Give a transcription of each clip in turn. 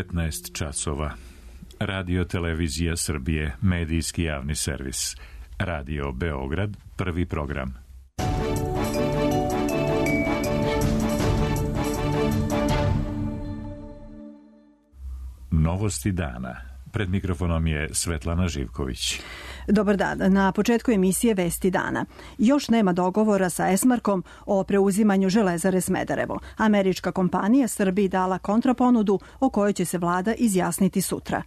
19 časova. Radio Televizija Srbije, medijski javni servis. Radio Beograd, prvi program. Novosti dana. Pred mikrofonom je Svetlana Živković. Dobar dan. Na početku emisije Vesti dana. Još nema dogovora sa Esmarkom o preuzimanju Železare Smederevo. Američka kompanija Srbiji dala kontraponudu o kojoj će se vlada izjasniti sutra.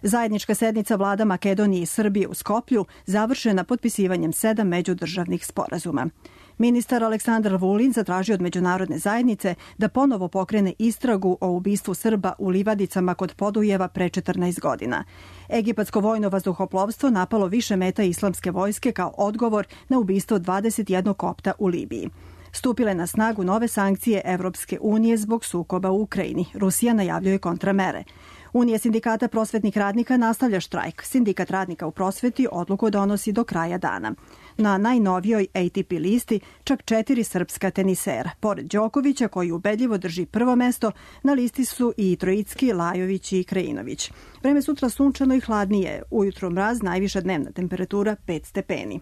Zajednička sednica vlada Makedonije i Srbije u Skoplju završena potpisivanjem 7 međudržavnih sporazuma. Ministar Aleksandar Vulin zatražio od međunarodne zajednice da ponovo pokrene istragu o ubistvu Srba u livadicama kod Podujeva pre 14 godina. Egipatsko vojno vazduhoplovstvo napalo više meta islamske vojske kao odgovor na ubistvo 21 kopta u Libiji. Stupile na snagu nove sankcije Evropske unije zbog sukoba u Ukrajini. Rusija najavljuje kontramere. Unija sindikata prosvetnih radnika nastavlja štrajk. Sindikat radnika u prosveti odluku donosi do kraja dana. Na najnovijoj ATP listi čak 4 srpska tenisera. Pored Đokovića, koji ubedljivo drži prvo mesto, na listi su i Trojicki, Lajović i Krajinović. Vreme sutra sunčano i hladnije. Ujutro mraz, najviša dnevna temperatura 5 stepeni.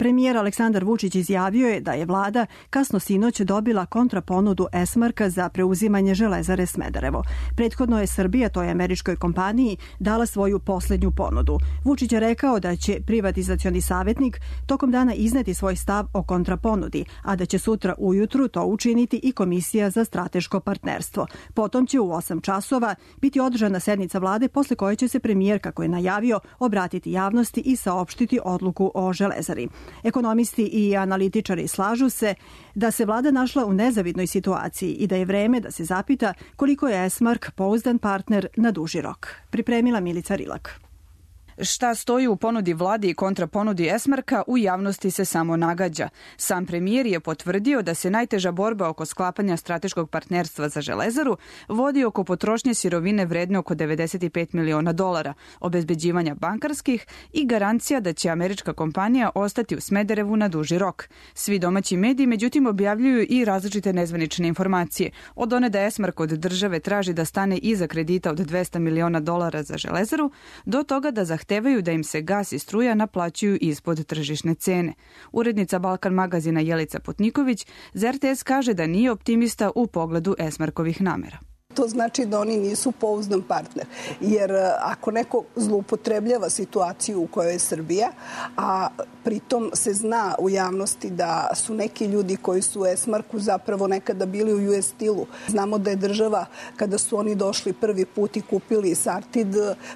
Premijer Aleksandar Vučić izjavio je da je vlada kasno sinoć dobila kontraponudu Esmarka za preuzimanje Železare Smederevo. Prethodno je Srbija, toj američkoj kompaniji, dala svoju poslednju ponudu. Vučić je rekao da će privatizacioni savjetnik tokom dana izneti svoj stav o kontraponudi, a da će sutra ujutru to učiniti i Komisija za strateško partnerstvo. Potom će u 8 časova biti održana sednica vlade, posle koje će se premijer, kako je najavio, obratiti javnosti i saopštiti odluku o Železari. Ekonomisti i analitičari slažu se da se vlada našla u nezavidnoj situaciji i da je vreme da se zapita koliko je Esmark pouzdan partner na duži rok. Pripremila Milica Rilak. Šta stoji u ponudi vladi i kontraponudi Esmarka u javnosti se samo nagađa. Sam premijer je potvrdio da se najteža borba oko sklapanja strateškog partnerstva za Železaru vodi oko potrošnje sirovine vredne oko $95 miliona, obezbeđivanja bankarskih i garancija da će američka kompanija ostati u Smederevu na duži rok. Svi domaći mediji međutim objavljuju i različite nezvanične informacije. Od one da Esmark od države traži da stane iza kredita od $200 miliona za Železaru, do toga da zahtevaju da im se gas i struja naplaćuju ispod tržišne cene. Urednica Balkan magazina Jelica Putniković za RTS kaže da nije optimista u pogledu Esmarkovih namera. To znači da oni nisu pouzdan partner. Jer ako neko zloupotrebljava situaciju u kojoj je Srbija, a pritom se zna u javnosti da su neki ljudi koji su u Esmarku zapravo nekada bili u US Steel-u. Znamo da je država, kada su oni došli prvi put i kupili Sartid,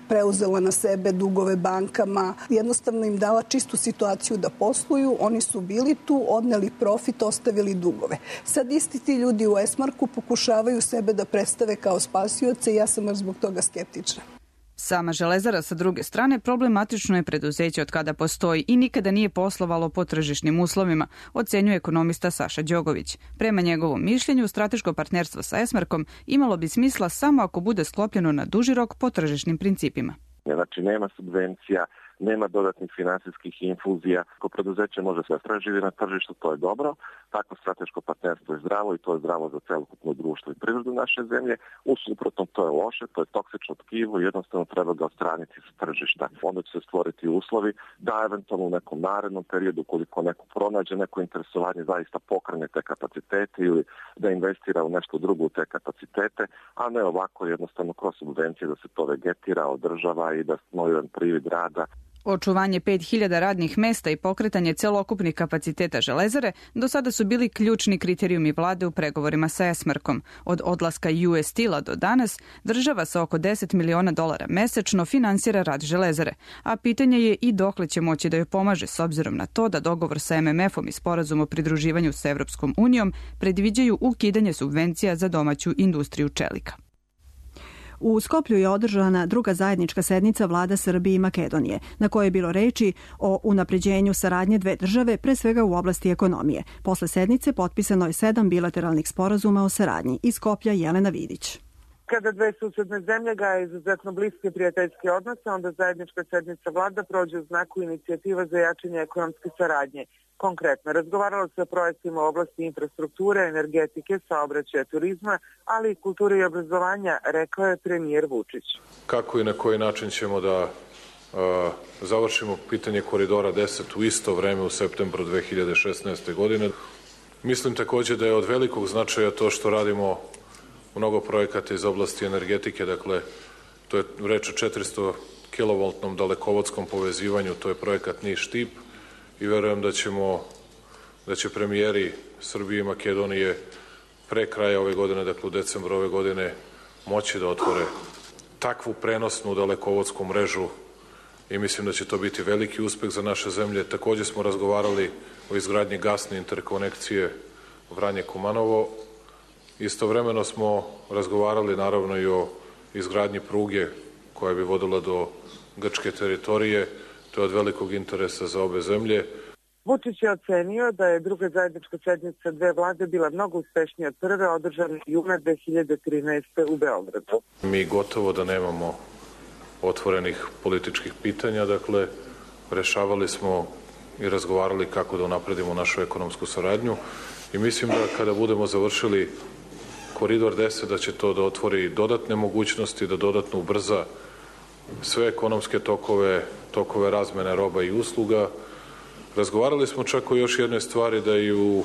preuzela na sebe dugove bankama, jednostavno im dala čistu situaciju da posluju, oni su bili tu, odneli profit, ostavili dugove. Sad isti ti ljudi u Esmarku pokušavaju sebe da predstave kao spasioce i ja sam zbog toga skeptična. Sama Železara sa druge strane problematično je preduzeće od kada postoji i nikada nije poslovalo po tržišnim uslovima, ocenjuje ekonomista Saša Đogović. Prema njegovom mišljenju, strateško partnerstvo sa Esmarkom imalo bi smisla samo ako bude sklopljeno na duži rok po tržišnim principima. Znači nema subvencija, nema dodatnih finansijskih infuzija. Ako preduzeće može se preživi na tržištu, to je dobro. Takvo strateško partnerstvo je zdravo i to je zdravo za celokupno društvo i privredu naše zemlje. U suprotnom, to je loše, to je toksično tkivo i jednostavno treba ga odstraniti sa tržišta. Onda će se stvoriti uslovi da eventualno u nekom narednom periodu, ukoliko neko pronađe neko interesovanje, zaista pokrene te kapacitete ili da investira u nešto drugo u te kapacitete, a ne ovako jednostavno kroz subvencije da se to vegetira, održava i da smo jedan privid rada. Očuvanje 5.000 radnih mesta i pokretanje celokupnih kapaciteta Železare do sada su bili ključni kriterijumi vlade u pregovorima sa Esmarkom. Od odlaska US Steel-a do danas država sa oko $10 miliona mesečno finansira rad Železare, a pitanje je i dokle će moći da joj pomaže s obzirom na to da dogovor sa MMF-om i sporazum o pridruživanju sa Evropskom unijom predviđaju ukidanje subvencija za domaću industriju čelika. U Skoplju je održana druga zajednička sednica vlada Srbije i Makedonije, na kojoj je bilo reči o unapređenju saradnje dve države, pre svega u oblasti ekonomije. Posle sednice potpisano je 7 bilateralnih sporazuma o saradnji. Iz Skoplja Jelena Vidić. Kada dve susedne zemlje gaje izuzetno bliske prijateljske odnose, onda zajednička sednica vlada prođe u znaku inicijativa za jačanje ekonomske saradnje. Konkretno, razgovaralo se o projektima u oblasti infrastrukture, energetike, saobraćaja, turizma, ali i kulture i obrazovanja, rekao je premijer Vučić. Kako i na koji način ćemo da završimo pitanje koridora 10 u isto vreme u septembru 2016. godine. Mislim takođe da je od velikog značaja to što radimo mnogo projekata iz oblasti energetike, dakle, to je reč o 400 kilovoltnom dalekovodskom povezivanju, to je projekat Niš-Štip i verujem da će premijeri Srbije i Makedonije pre kraja ove godine, dakle u decembru ove godine, moći da otvore takvu prenosnu dalekovodsku mrežu i mislim da će to biti veliki uspeh za naše zemlje. Takođe smo razgovarali o izgradnji gasne interkonekcije Vranje-Kumanovo. Istovremeno smo razgovarali naravno i o izgradnji pruge koja bi vodila do grčke teritorije. To je od velikog interesa za obe zemlje. Vučić je ocenio da je druga zajednička sednica dve vlade bila mnogo uspešnija od prve, održane juna 2013. u Beogradu. Mi gotovo da nemamo otvorenih političkih pitanja, dakle, rešavali smo i razgovarali kako da unapredimo našu ekonomsku saradnju i mislim da kada budemo završili koridor 10 da će to da otvori dodatne mogućnosti, da dodatno ubrza sve ekonomske tokove razmene roba i usluga. Razgovarali smo čak o još jednoj stvari, da i u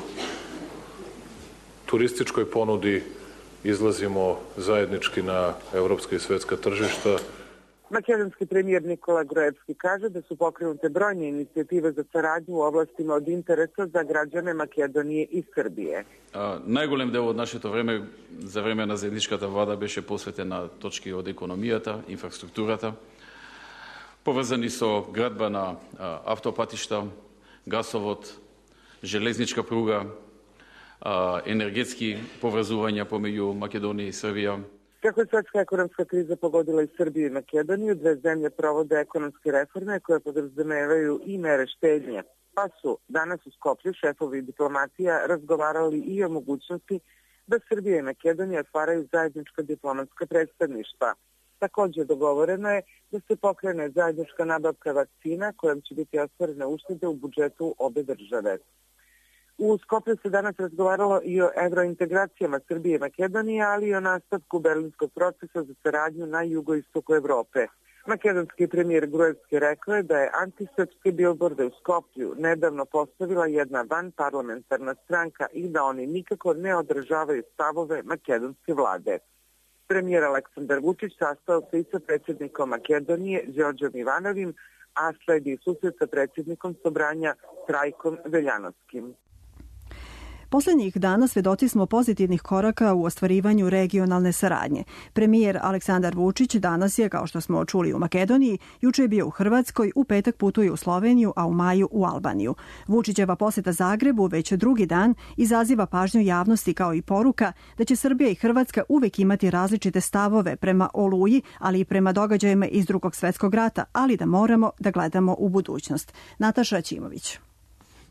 turističkoj ponudi izlazimo zajednički na evropska i svetska tržišta. Makedonski premijer Nikola Gruevski kaže da su pokrenute brojne inicijative za saradnju u oblastima od interesa za građane Македонije и Србije. Најголем дел од нашето време за време на заедничката влада беше посветен на точки од економијата, инфраструктурата, поврзани со градба на автопатишта, гасовод, железничка пруга, енергетски поврзувања помеѓу Македонија и Србија. Kako je svetska ekonomska kriza pogodila i Srbiju i Makedoniju, dve zemlje provode ekonomske reforme koje podrazumevaju i mere štednje. Pa su danas u Skoplju šefovi diplomatija razgovarali i o mogućnosti da Srbija i Makedonija otvaraju zajednička diplomatska predstavništva. Takođe dogovoreno je da se pokrene zajednička nabavka vakcina kojom će biti ostvarene uštede u budžetu obe države. U Skoplju se danas razgovaralo i o evrointegracijama Srbije i Makedonije, ali i o nastavku berlinskog procesa za saradnju na jugoistoku Evrope. Makedonski premijer Gruevski rekao je da je antisrpske bilborde u Skoplju nedavno postavila jedna vanparlamentarna stranka i da oni nikako ne odražavaju stavove makedonske vlade. Premijer Aleksandar Vučić sastao se i sa predsjednikom Makedonije Đorđom Ivanovim, a sledi susret sa predsjednikom Sobranja Trajkom Veljanovskim. Poslednjih dana svedoci smo pozitivnih koraka u ostvarivanju regionalne saradnje. Premijer Aleksandar Vučić danas je, kao što smo čuli, u Makedoniji, juče je bio u Hrvatskoj, u petak putuje u Sloveniju, a u maju u Albaniju. Vučićeva poseta Zagrebu već drugi dan izaziva pažnju javnosti kao i poruka da će Srbija i Hrvatska uvek imati različite stavove prema Oluji, ali i prema događajima iz Drugog svetskog rata, ali da moramo da gledamo u budućnost. Nataša Ćimović.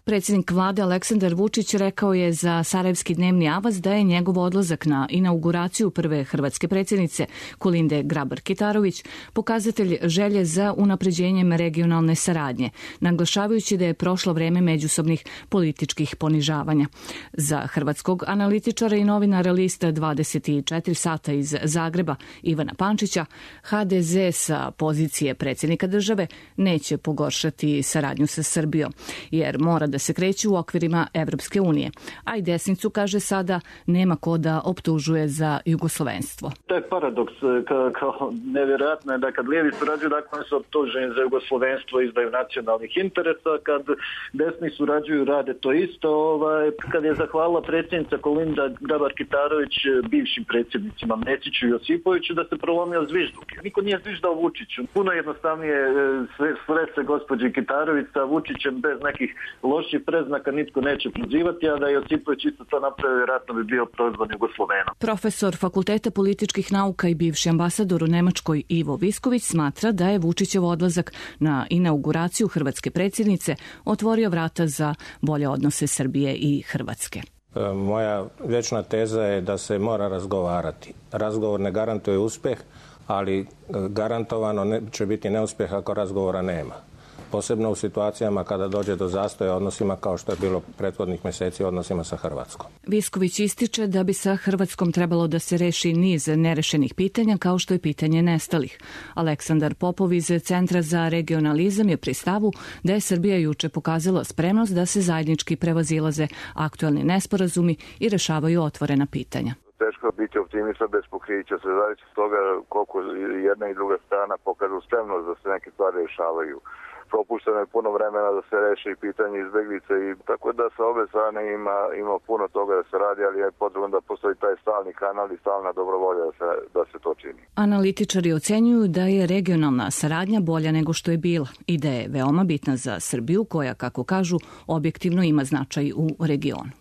Predsjednik vlade Aleksandar Vučić rekao je za Sarajevski dnevni avaz da je njegov odlazak na inauguraciju prve hrvatske predsjednice Kolinde Grabar-Kitarović pokazatelj želje za unapređenjem regionalne saradnje, naglašavajući da je prošlo vreme međusobnih političkih ponižavanja. Za hrvatskog analitičara i novinara lista 24 sata iz Zagreba Ivana Pančića, HDZ sa pozicije predsjednika države neće pogoršati saradnju sa Srbijom, jer mora da se kreću u okvirima Evropske unije. A i desnicu, kaže, sada nema ko da optužuje za jugoslovenstvo. To je paradoks, kao nevjerojatno je da kad lijevi surađuju, dakle su optuženi za jugoslovenstvo, izdaju nacionalnih interesa, kad desni surađuju, rade to isto. Kad je zahvalila predsjednica Kolinda Grabar-Kitarović bivšim predsjednicima Mesiću i Josipoviću da se prolomio zvižduk. Niko nije zviždao Vučiću. Puno jednostavnije sresti se gospođi Kitarović sa Vučićem bez nekih loših preznaka nitko neće prozivati, a da je Josipović isto to napravio, vjerojatno bi bio prozvan Jugoslovenom. Profesor Fakulteta političkih nauka i bivši ambasador u Nemačkoj Ivo Visković smatra da je Vučićev odlazak na inauguraciju hrvatske predsjednice otvorio vrata za bolje odnose Srbije i Hrvatske. Moja vječna teza je da se mora razgovarati. Razgovor ne garantuje uspjeh, ali garantovano će biti neuspjeh ako razgovora nema. Posebno u situacijama kada dođe do zastoja odnosima kao što je bilo prethodnih mjeseci u odnosima sa Hrvatskom. Visković ističe da bi sa Hrvatskom trebalo da se reši niz nerešenih pitanja kao što je pitanje nestalih. Aleksandar Popov iz Centra za regionalizam je pri stavu da je Srbija juče pokazala spremnost da se zajednički prevazilaze aktuelni nesporazumi i rešavaju otvorena pitanja. Teško biti optimista bez pokrića, sve zavisi od toga koliko jedna i druga strana pokažu spremnost da se neke stvari rešavaju. Propušteno je puno vremena da se reši i pitanje izbeglice i tako da sa obe strane ima puno toga da se radi, ali je potrebno da postoji taj stalni kanal i stalna dobrovolja da se to čini. Analitičari ocenjuju da je regionalna saradnja bolja nego što je bila i da je veoma bitna za Srbiju koja, kako kažu, objektivno ima značaj u regionu.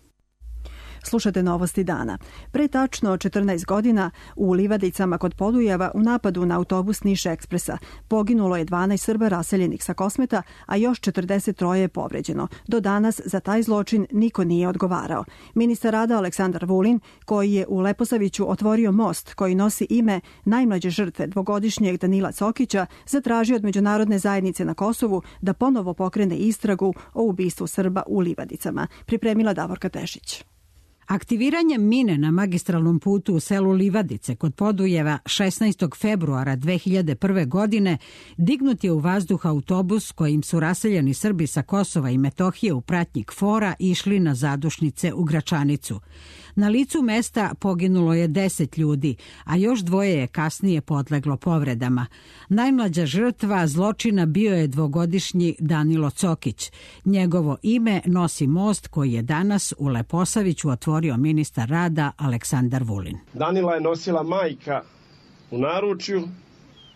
Slušate novosti dana. Pre tačno 14 godina u Livadicama kod Podujeva u napadu na autobus Niš Ekspresa poginulo je 12 Srba raseljenih sa Kosmeta, a još 43 je povređeno. Do danas za taj zločin niko nije odgovarao. Ministar rada Aleksandar Vulin, koji je u Leposaviću otvorio most koji nosi ime najmlađe žrtve dvogodišnjeg Danila Cokića, zatražio od međunarodne zajednice na Kosovu da ponovo pokrene istragu o ubistvu Srba u Livadicama. Pripremila Davorka Tešić. Aktiviranjem mine na magistralnom putu u selu Livadice kod Podujeva 16. februara 2001. godine dignut je u vazduh autobus kojim su raseljeni Srbi sa Kosova i Metohije u pratnji KFOR-a išli na zadušnice u Gračanicu. Na licu mesta poginulo je 10 ljudi, a još dvoje je kasnije podleglo povredama. Najmlađa žrtva zločina bio je dvogodišnji Danilo Cokić. Njegovo ime nosi most koji je danas u Leposaviću otvorio ministar rada Aleksandar Vulin. Danila je nosila majka u naručju.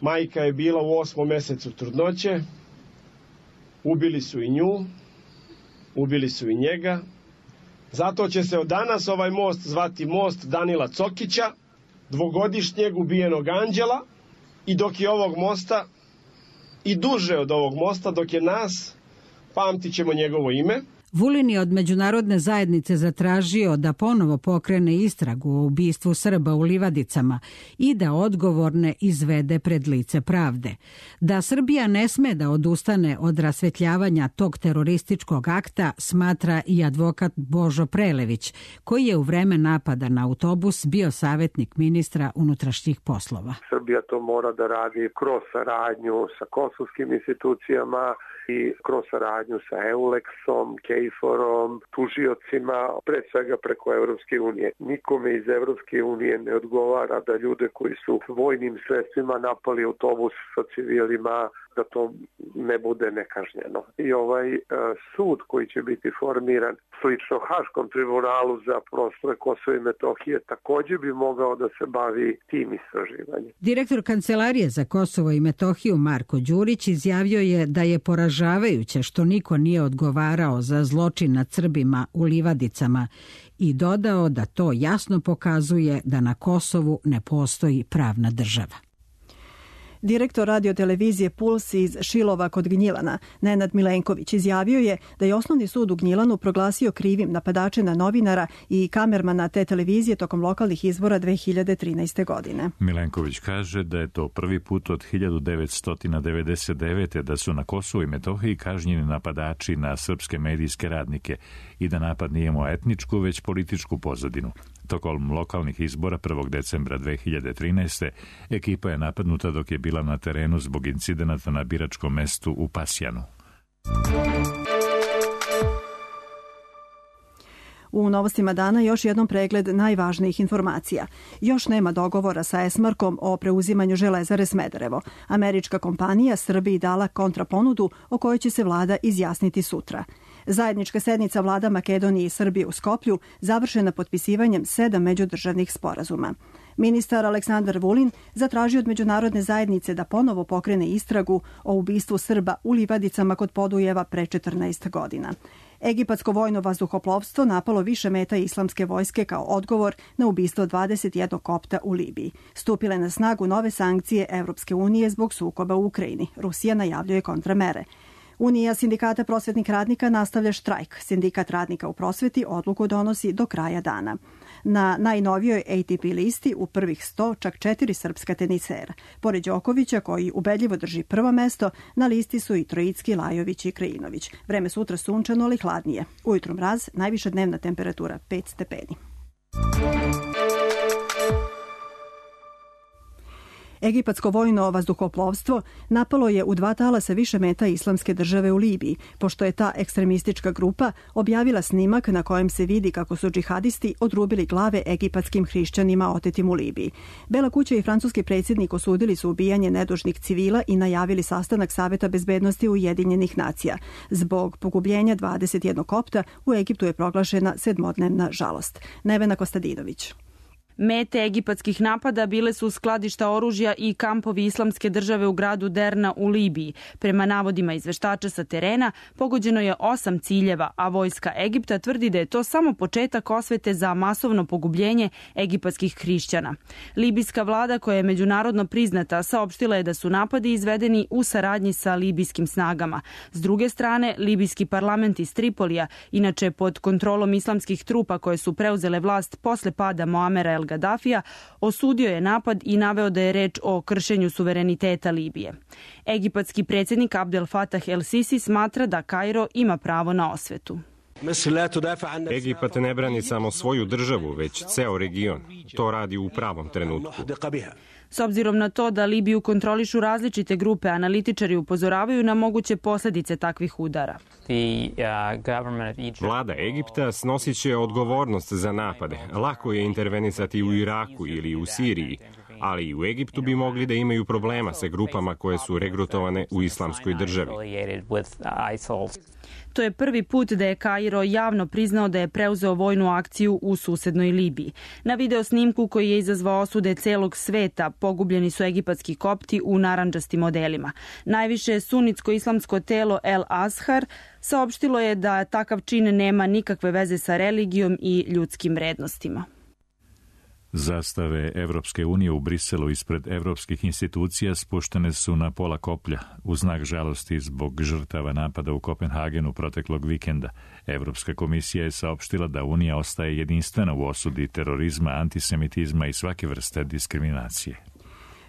Majka je bila u 8. mjesecu trudnoće. Ubili su i nju, ubili su i njega. Zato će se od danas ovaj most zvati most Danila Cokića, dvogodišnjeg ubijenog anđela, i dok je ovog mosta i duže od ovog mosta, dok je nas, pamtit ćemo njegovo ime. Vulin je od međunarodne zajednice zatražio da ponovo pokrene istragu o ubistvu Srba u Livadicama i da odgovorne izvede pred lice pravde. Da Srbija ne sme da odustane od rasvetljavanja tog terorističkog akta smatra i advokat Božo Prelević, koji je u vreme napada na autobus bio savjetnik ministra unutrašnjih poslova. Srbija to mora da radi kroz saradnju sa kosovskim institucijama i kroz saradnju sa EULEX-om, KFOR-om, tužiocima, pre svega preko Evropske unije. Nikome iz Evropske unije ne odgovara da ljude koji su vojnim sredstvima napali autobus sa civilima, da to ne bude nekažnjeno. I ovaj sud koji će biti formiran slično Haškom tribunalu za prostore Kosova i Metohije također bi mogao da se bavi tim istraživanjem. Direktor Kancelarije za Kosovo i Metohiju Marko Đurić izjavio je da je poražavajuće što niko nije odgovarao za zločin nad Srbima u Livadicama i dodao da to jasno pokazuje da na Kosovu ne postoji pravna država. Direktor radiotelevizije Puls iz Šilova kod Gnjilana, Nenad Milenković, izjavio je da je Osnovni sud u Gnjilanu proglasio krivim napadače na novinara i kamermana te televizije tokom lokalnih izbora 2013. godine. Milenković kaže da je to prvi put od 1999. da su na Kosovu i Metohiji kažnjeni napadači na srpske medijske radnike i da napad nije imao etničku, već političku pozadinu. Tokom lokalnih izbora 1. decembra 2013. ekipa je napadnuta dok je bila na terenu zbog incidenata na biračkom mestu u Pasjanu. U novostima dana još jednom pregled najvažnijih informacija. Još nema dogovora sa Esmarkom o preuzimanju Železare Smederevo. Američka kompanija Srbiji dala kontraponudu o kojoj će se vlada izjasniti sutra. Zajednička sednica vlada Makedonije i Srbije u Skoplju završena potpisivanjem 7 međudržavnih sporazuma. Ministar Aleksandar Vulin zatražio od međunarodne zajednice da ponovo pokrene istragu o ubistvu Srba u Livadicama kod Podujeva pre 14 godina. Egipatsko vojno vazduhoplovstvo napalo više meta islamske vojske kao odgovor na ubistvo 21 kopta u Libiji. Stupile na snagu nove sankcije Evropske unije zbog sukoba u Ukrajini. Rusija najavljuje kontramere. Unija sindikata prosvetnih radnika nastavlja štrajk. Sindikat radnika u prosveti odluku donosi do kraja dana. Na najnovijoj ATP listi u prvih 100 čak 4 srpska tenisera. Pored Đokovića, koji ubedljivo drži prvo mesto, na listi su i Trojicki, Lajović i Krajinović. Vreme sutra sunčano, ali hladnije. Ujutro mraz, najviša dnevna temperatura 5 stepeni. Egipatsko vojno vazduhoplovstvo napalo je u 2 talasa više meta Islamske države u Libiji, pošto je ta ekstremistička grupa objavila snimak na kojem se vidi kako su džihadisti odrubili glave egipatskim hrišćanima otetim u Libiji. Bela kuća i francuski predsjednik osudili su ubijanje nedužnih civila i najavili sastanak Saveta bezbednosti Ujedinjenih nacija. Zbog pogubljenja 21 kopta u Egiptu je proglašena 7-dnevna žalost. Nevena Kostadinović. Mete egipatskih napada bile su skladišta oružja i kampovi Islamske države u gradu Derna u Libiji. Prema navodima izveštača sa terena, pogođeno je 8 ciljeva, a vojska Egipta tvrdi da je to samo početak osvete za masovno pogubljenje egipatskih hrišćana. Libijska vlada, koja je međunarodno priznata, saopštila je da su napadi izvedeni u saradnji sa libijskim snagama. S druge strane, libijski parlament iz Tripolija, inače pod kontrolom islamskih trupa koje su preuzele vlast posle pada Moamera el Gaddafija, osudio je napad i naveo da je reč o kršenju suvereniteta Libije. Egipatski predsjednik Abdel Fattah el-Sisi smatra da Kairo ima pravo na osvetu. Egipat ne brani samo svoju državu, već ceo region. To radi u pravom trenutku. S obzirom na to da Libiju kontrolišu različite grupe, analitičari upozoravaju na moguće posljedice takvih udara. Vlada Egipta snosit će odgovornost za napade. Lako je intervenisati u Iraku ili u Siriji, ali i u Egiptu bi mogli da imaju problema sa grupama koje su regrutovane u Islamskoj državi. To je prvi put da je Kairo javno priznao da je preuzeo vojnu akciju u susednoj Libiji. Na video snimku koji je izazvao osude celog sveta pogubljeni su egipatski kopti u narandžastim modelima. Najviše sunitsko-islamsko telo El Azhar saopštilo je da takav čin nema nikakve veze sa religijom i ljudskim vrednostima. Zastave Evropske unije u Briselu ispred evropskih institucija spuštene su na pola koplja u znak žalosti zbog žrtava napada u Kopenhagenu proteklog vikenda. Evropska komisija je saopštila da Unija ostaje jedinstvena u osudi terorizma, antisemitizma i svake vrste diskriminacije.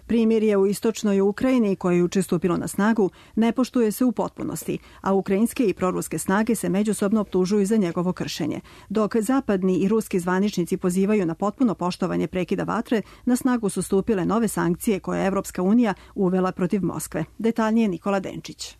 Primirje u istočnoj Ukrajini, koje je juče stupilo na snagu, ne poštuje se u potpunosti, a ukrajinske i proruske snage se međusobno optužuju za njegovo kršenje. Dok zapadni i ruski zvaničnici pozivaju na potpuno poštovanje prekida vatre, na snagu su stupile nove sankcije koje je Evropska unija uvela protiv Moskve. Detaljnije Nikola Denčić.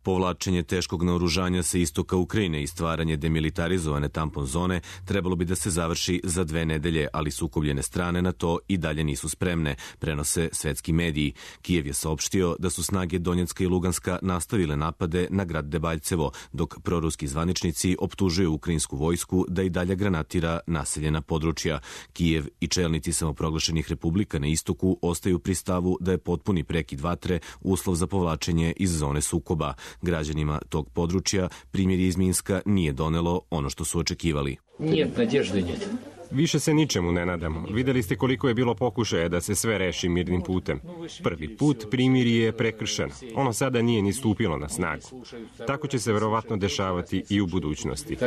Povlačenje teškog naoružanja sa istoka Ukrajine i stvaranje demilitarizovane tampon zone trebalo bi da se završi za 2 nedelje, ali sukobljene strane na to i dalje nisu spremne, prenose svetski mediji. Kijev je saopštio da su snage Donjecka i Luganska nastavile napade na grad Debaljcevo, dok proruski zvaničnici optužuju ukrajinsku vojsku da i dalje granatira naseljena područja. Kijev i čelnici samoproglašenih republika na istoku ostaju pri stavu da je potpuni prekid vatre uslov za povlačenje iz zone sukoba. Građanima tog područja primjer iz Minska nije donelo ono što su očekivali. Više se ničemu ne nadamo. Videli ste koliko je bilo pokušaja da se sve reši mirnim putem. Prvi put primirje je prekršeno. Ono sada nije ni stupilo na snagu. Tako će se verovatno dešavati i u budućnosti.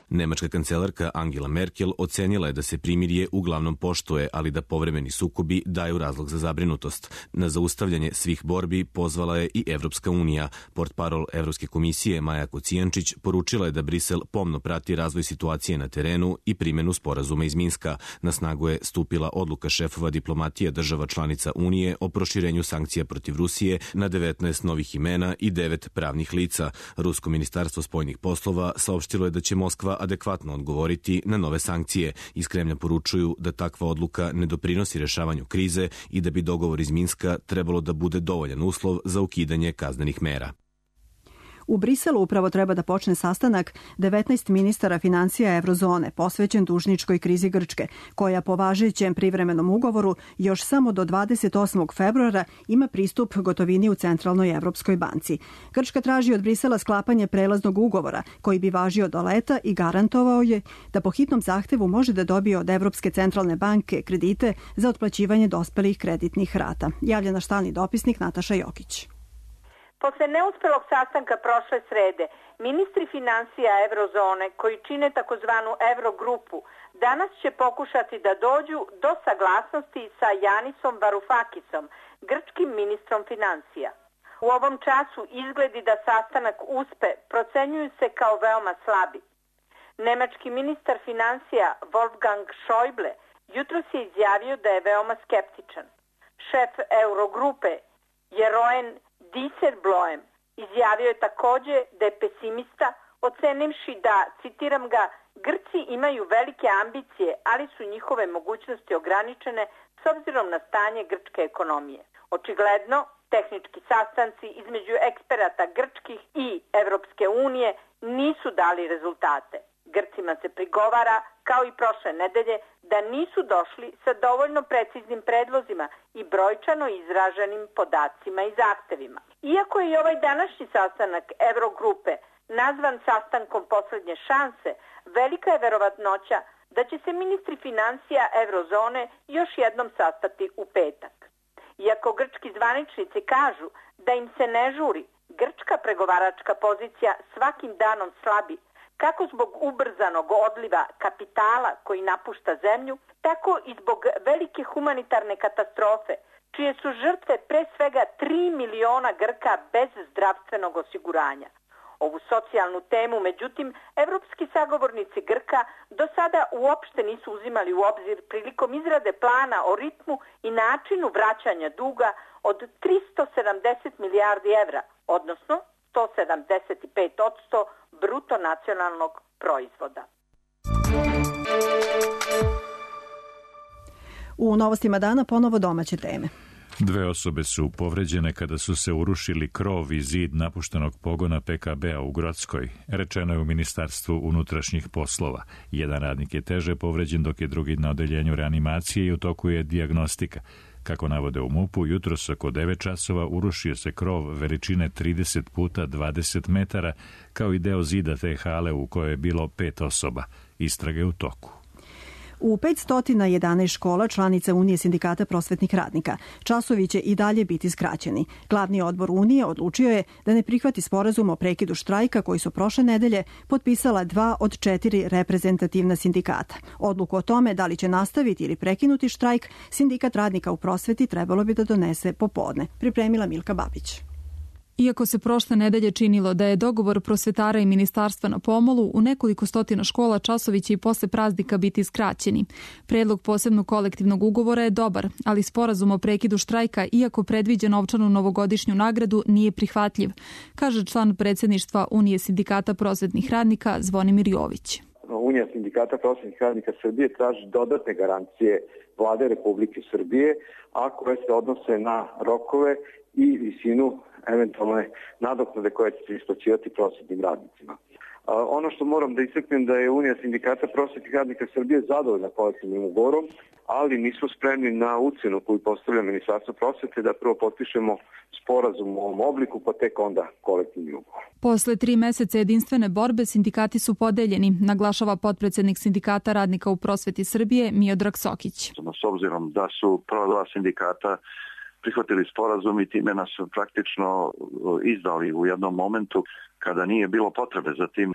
Nemačka kancelarka Angela Merkel ocenila je da se primirje uglavnom poštuje, ali da povremeni sukobi daju razlog za zabrinutost. Na zaustavljanje svih borbi pozvala je i Evropska unija. Portparol Evropske komisije Maja Kocijančić poručila je da Brisel pomno prati razvoj situacije na terenu i primjenu sporazuma iz Minska. Na snagu je stupila odluka šefova diplomatije država članica Unije o proširenju sankcija protiv Rusije na 19 novih imena i 9 pravnih lica. Rusko ministarstvo spoljnih poslova saopštilo je da će Moskva adekvatno odgovoriti na nove sankcije. Iz Kremlja poručuju da takva odluka ne doprinosi rešavanju krize i da bi dogovor iz Minska trebalo da bude dovoljan uslov za ukidanje kaznenih mera. U Briselu upravo treba da počne sastanak 19 ministara financija Evrozone posvećen dužničkoj krizi Grčke, koja po važećem privremenom ugovoru još samo do 28. februara ima pristup gotovini u Centralnoj Evropskoj banci. Grčka traži od Brisela sklapanje prelaznog ugovora koji bi važio do leta i garantovao je da po hitnom zahtevu može da dobije od Evropske centralne banke kredite za otplaćivanje dospelih kreditnih rata. Javlja naš stalni dopisnik Nataša Jokić. Posle neuspelog sastanka prošle srede, ministri finansija Eurozone, koji čine takozvanu Eurogrupu, danas će pokušati da dođu do saglasnosti sa Janisom Varoufakisom, grčkim ministrom finansija. U ovom času izgledi da sastanak uspe procenjuju se kao veoma slabi. Nemački ministar finansija Wolfgang Schäuble jutros je izjavio da je veoma skeptičan. Šef Eurogrupe Jeroen Dijsselbloem izjavio je takođe da je pesimista, ocenivši da, citiram ga, Grci imaju velike ambicije, ali su njihove mogućnosti ograničene s obzirom na stanje grčke ekonomije. Očigledno, tehnički sastanci između eksperata grčkih i Evropske unije nisu dali rezultate. Grcima se prigovara, kao i prošle nedelje, da nisu došli sa dovoljno preciznim predlozima i brojčano izraženim podacima i zahtevima. Iako je i ovaj današnji sastanak Eurogrupe nazvan sastankom poslednje šanse, velika je verovatnoća da će se ministri finansija Eurozone još jednom sastati u petak. Iako grčki zvaničnici kažu da im se ne žuri, grčka pregovaračka pozicija svakim danom slabi, kako zbog ubrzanog odliva kapitala koji napušta zemlju, tako i zbog velike humanitarne katastrofe, čije su žrtve pre svega 3 miliona Grka bez zdravstvenog osiguranja. Ovu socijalnu temu, međutim, evropski sagovornici Grka do sada uopšte nisu uzimali u obzir prilikom izrade plana o ritmu i načinu vraćanja duga od 370 milijardi evra, odnosno 175% bruto nacionalnog proizvoda. U novostima dana ponovo domaće teme. 2 osobe su povređene kada su se urušili krov i zid napuštenog pogona PKB-a u Grockoj, rečeno je u Ministarstvu unutrašnjih poslova. Jedan radnik je teže povređen, dok je drugi na odeljenju reanimacije i u toku je dijagnostika. Kako navode u MUP-u, jutros oko 9 časova urušio se krov veličine 30 puta 20 metara, kao i deo zida te hale u kojoj je bilo 5 osoba. Istrage u toku. U 511 škola članica Unije sindikata prosvetnih radnika časovi će i dalje biti skraćeni. Glavni odbor Unije odlučio je da ne prihvati sporazum o prekidu štrajka koji su prošle nedelje potpisala 2 od 4 reprezentativna sindikata. Odluku o tome da li će nastaviti ili prekinuti štrajk, sindikat radnika u prosveti trebalo bi da donese popodne. Pripremila Milka Babić. Iako se prošle nedelje činilo da je dogovor prosvetara i ministarstva na pomolu, u nekoliko stotina škola časovi će i posle praznika biti skraćeni. Predlog posebnog kolektivnog ugovora je dobar, ali sporazum o prekidu štrajka, iako predviđa novčanu novogodišnju nagradu, nije prihvatljiv, kaže član predsjedništva Unije sindikata prosvetnih radnika Zvonimir Jović. Unija sindikata prosvetnih radnika Srbije traži dodatne garancije Vlade Republike Srbije, a koje se odnose na rokove i visinu eventualne nadoknade koje će se isplaćivati prosvetnim radnicima. Ono što moram da istaknem da je Unija sindikata prosvetnih radnika Srbije zadovoljna kolektivnim ugovorom, ali nismo spremni na ucenu koju postavlja Ministarstvo prosvete da prvo potpišemo sporazum u ovom obliku, pa tek onda kolektivni ugovor. Posle 3 meseca jedinstvene borbe sindikati su podeljeni, naglašava potpredsednik sindikata radnika u prosveti Srbije Miodrag Sokić. S obzirom da su prva 2 sindikata prihvatili sporazum i time nas praktično izdali u jednom momentu kada nije bilo potrebe za tim.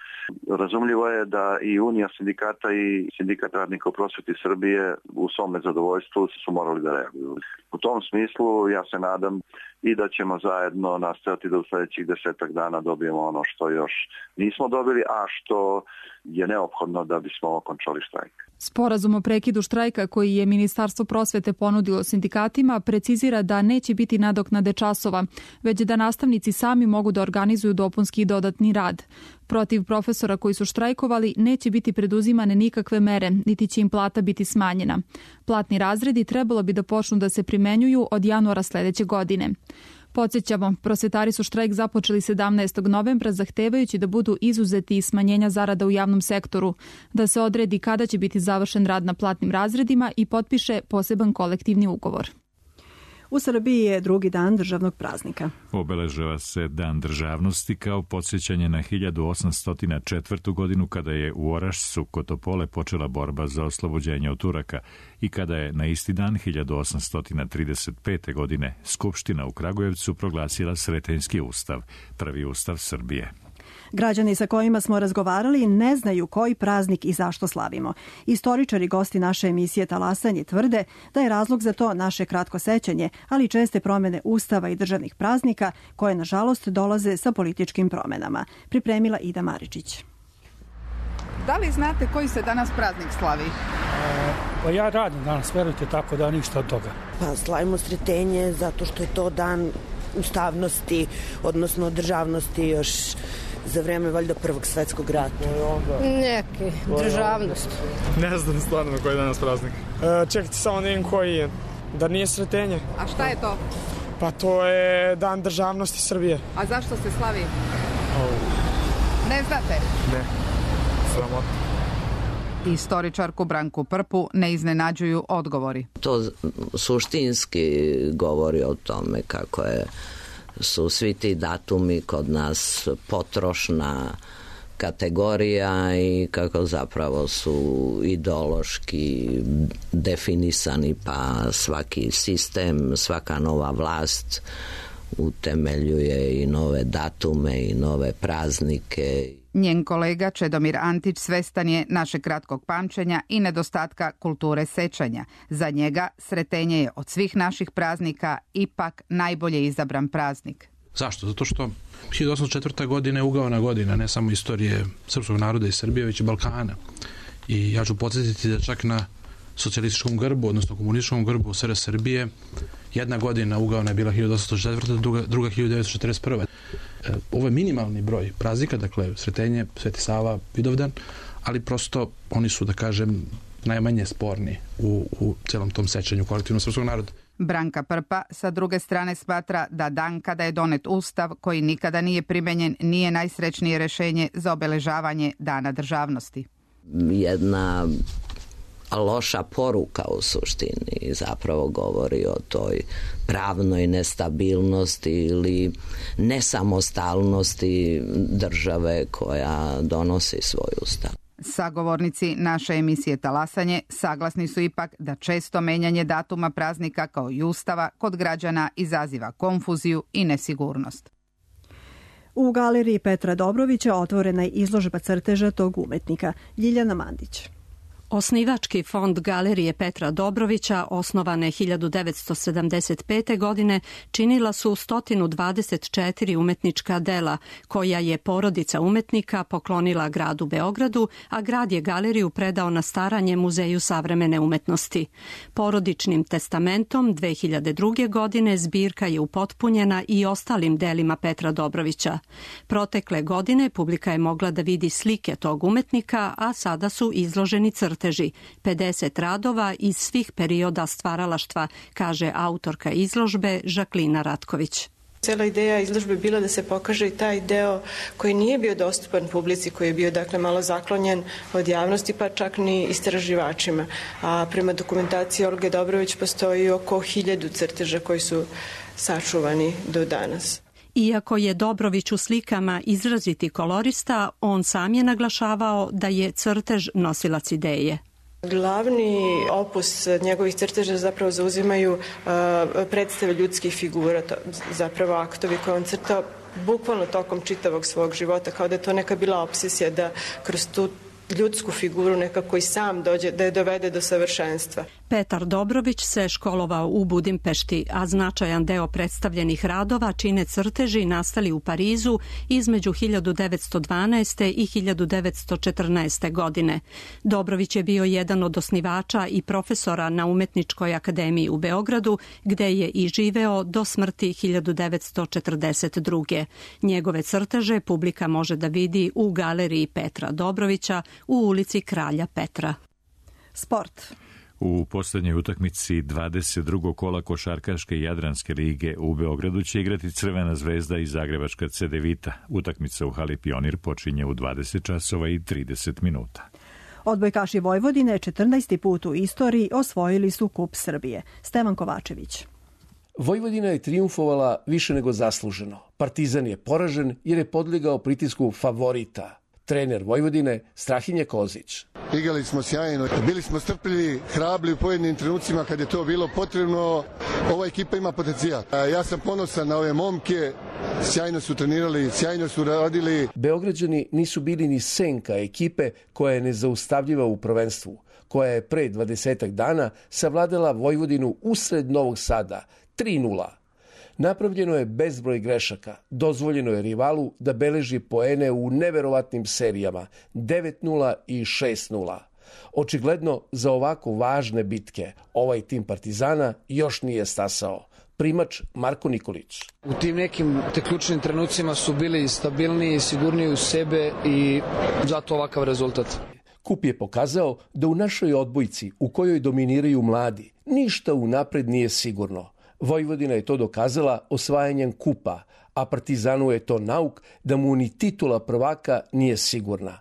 Razumljivo je da i Unija sindikata i sindikat radnika u prosveti Srbije u svome zadovoljstvu su morali da reaguju. U tom smislu ja se nadam i da ćemo zajedno nastaviti da u sljedećih 10 dana dobijemo ono što još nismo dobili, a što je neophodno da bismo okončali štrajk. Sporazum o prekidu štrajka koji je Ministarstvo prosvete ponudilo sindikatima precizira da neće biti nadoknade časova, već da nastavnici sami mogu da organizuju dopunski i dodatni rad. Protiv profesora koji su štrajkovali neće biti preduzimane nikakve mere, niti će im plata biti smanjena. Platni razredi trebalo bi da počnu da se primenjuju od januara sledeće godine. Podsjećamo, prosvetari su štrajk započeli 17. novembra zahtevajući da budu izuzeti iz smanjenja zarada u javnom sektoru, da se odredi kada će biti završen rad na platnim razredima i potpiše poseban kolektivni ugovor. U Srbiji je drugi dan državnog praznika. Obeležava se Dan državnosti kao podsjećanje na 1804. godinu kada je u Orašcu kod Topole počela borba za oslobođenje od Turaka i kada je na isti dan 1835. godine Skupština u Kragujevcu proglasila Sretenjski ustav, prvi ustav Srbije. Građani sa kojima smo razgovarali ne znaju koji praznik i zašto slavimo. Istoričari, gosti naše emisije Talasanje, tvrde da je razlog za to naše kratko sećanje, ali česte promene ustava i državnih praznika koje, nažalost, dolaze sa političkim promenama. Pripremila Ida Maričić. Da li znate koji se danas praznik slavi? Pa ja radim danas, verujte, tako da ništa od toga. Pa slavimo Sretenje zato što je to dan ustavnosti, odnosno državnosti još za vreme valjda Prvog svetskog rata. Neki, državnost. Ne znam stvarno koji je danas praznik. Čekajte samo da vidim koji je. Da nije Sretenje. A šta je to? Pa to je Dan državnosti Srbije. A zašto se slavi? Ne znate? Ne, sramotno. Istoričarku Branku Prpu ne iznenađuju odgovori. To suštinski govori o tome kako su svi ti datumi kod nas potrošna kategorija i kako zapravo su ideološki definisani, pa svaki sistem, svaka nova vlast utemeljuje i nove datume i nove praznike. Njen kolega Čedomir Antić svestan je našeg kratkog pamćenja i nedostatka kulture sećanja. Za njega Sretenje je od svih naših praznika ipak najbolje izabran praznik. Zašto? Zato što 1804. godina je ugaona godina, ne samo istorije srpskog naroda i Srbije, već i Balkana. I ja ću podsjetiti da čak na socijalističkom grbu, odnosno komunističkom grbu SR Srbije, jedna godina ugaona je bila 1804. druga 1941. Ovo je minimalni broj praznika, dakle Sretenje, Sveti Sava, Vidovdan, ali prosto oni su, da kažem, najmanje sporni u celom tom sećanju kolektivnog srpskog naroda. Branka Prpa sa druge strane smatra da dan kada je donet ustav koji nikada nije primenjen nije najsrećnije rešenje za obeležavanje Dana državnosti. Jedna loša poruka u suštini zapravo govori o toj pravnoj nestabilnosti ili nesamostalnosti države koja donosi svoj ustav. Sagovornici naše emisije Talasanje saglasni su ipak da često menjanje datuma praznika kao i ustava kod građana izaziva konfuziju i nesigurnost. U galeriji Petra Dobrovića otvorena je izložba crteža tog umetnika. Ljiljana Mandić. Osnivački fond Galerije Petra Dobrovića, osnovane 1975. godine, činila su 124 umetnička dela, koja je porodica umetnika poklonila gradu Beogradu, a grad je galeriju predao na staranje Muzeju savremene umetnosti. Porodičnim testamentom 2002. godine zbirka je upotpunjena i ostalim delima Petra Dobrovića. Protekle godine publika je mogla da vidi slike tog umetnika, a sada su izloženi crteži. 50 radova iz svih perioda stvaralaštva, kaže autorka izložbe Žaklina Ratković. Cela ideja izložbe je bila da se pokaže i taj deo koji nije bio dostupan publici, koji je bio dakle malo zaklonjen od javnosti, pa čak ni istraživačima. A prema dokumentaciji Olge Dobrović postoji oko 1000 crteža koji su sačuvani do danas. Iako je Dobrović u slikama izraziti kolorista, on sam je naglašavao da je crtež nosilac ideje. Glavni opus njegovih crteža zapravo zauzimaju predstave ljudskih figura, zapravo aktovi koje on crtao bukvalno tokom čitavog svog života, kao da je to neka bila obsesija da kroz tu ljudsku figuru nekako i sam dođe, da je dovede do savršenstva. Petar Dobrović se školovao u Budimpešti, a značajan deo predstavljenih radova čine crteži nastali u Parizu između 1912. i 1914. godine. Dobrović je bio jedan od osnivača i profesora na Umetničkoj akademiji u Beogradu, gde je i živeo do smrti 1942. Njegove crteže publika može da vidi u galeriji Petra Dobrovića u ulici Kralja Petra. Sport. U posljednjoj utakmici 22. kola košarkaške Jadranske lige u Beogradu će igrati Crvena zvezda i Zagrebačka Cedevita. Utakmica u hali Pionir počinje u 20 časova i 30 minuta. Odbojkaši Vojvodine 14. put u istoriji osvojili su Kup Srbije. Stevan Kovačević. Vojvodina je trijumfovala više nego zasluženo. Partizan je poražen jer je podlegao pritisku favorita. Trener Vojvodine Strahinja Kozić. Igrali smo sjajno, bili smo strpljivi, hrabri u pojedinim trenucima kad je to bilo potrebno. Ova ekipa ima potencijal. Ja sam ponosan na ove momke, sjajno su trenirali, sjajno su radili. Beograđani nisu bili ni senka ekipe koja je nezaustavljiva u prvenstvu, koja je pre 20 dana savladala Vojvodinu usred Novog Sada 3:0. Napravljeno je bezbroj grešaka, dozvoljeno je rivalu da beleži poene u neverovatnim serijama 9:0 i 6:0. Očigledno za ovako važne bitke ovaj tim Partizana još nije stasao. Primač Marko Nikolić. U tim nekim ključnim trenucima su bili stabilniji, sigurniji u sebe i zato ovakav rezultat. Kup je pokazao da u našoj odbojci u kojoj dominiraju mladi ništa unapred nije sigurno. Vojvodina je to dokazala osvajanjem kupa, a Partizanu je to nauk da mu ni titula prvaka nije sigurna.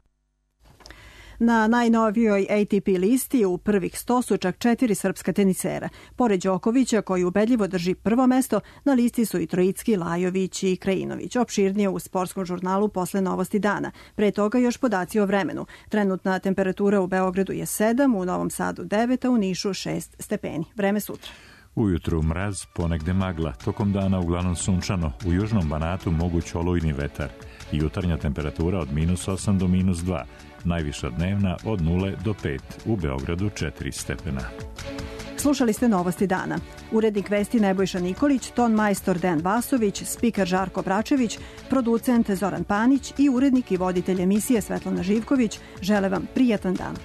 Na najnovijoj ATP listi u prvih 100 su čak 4 srpska tenisera. Pored Đokovića, koji ubedljivo drži prvo mesto, na listi su i Trojicki, Lajović i Krajinović. Opširnije u sportskom žurnalu posle Novosti dana. Pre toga još podaci o vremenu. Trenutna temperatura u Beogradu je 7, u Novom Sadu 9, a u Nišu 6 stepeni. Vreme sutra. Ujutru mraz, ponegde magla, tokom dana uglavnom sunčano, u južnom Banatu moguć olujni vetar. Jutarnja temperatura od -8 do -2, najviša dnevna od 0 do 5, u Beogradu 4 stepena. Slušali ste Novosti dana. Urednik vesti Nebojša Nikolić, ton majstor Dejan Vasović, spiker Žarko Bračević, producent Zoran Panić i urednik i voditelj emisije Svetlana Živković žele vam prijatan dan.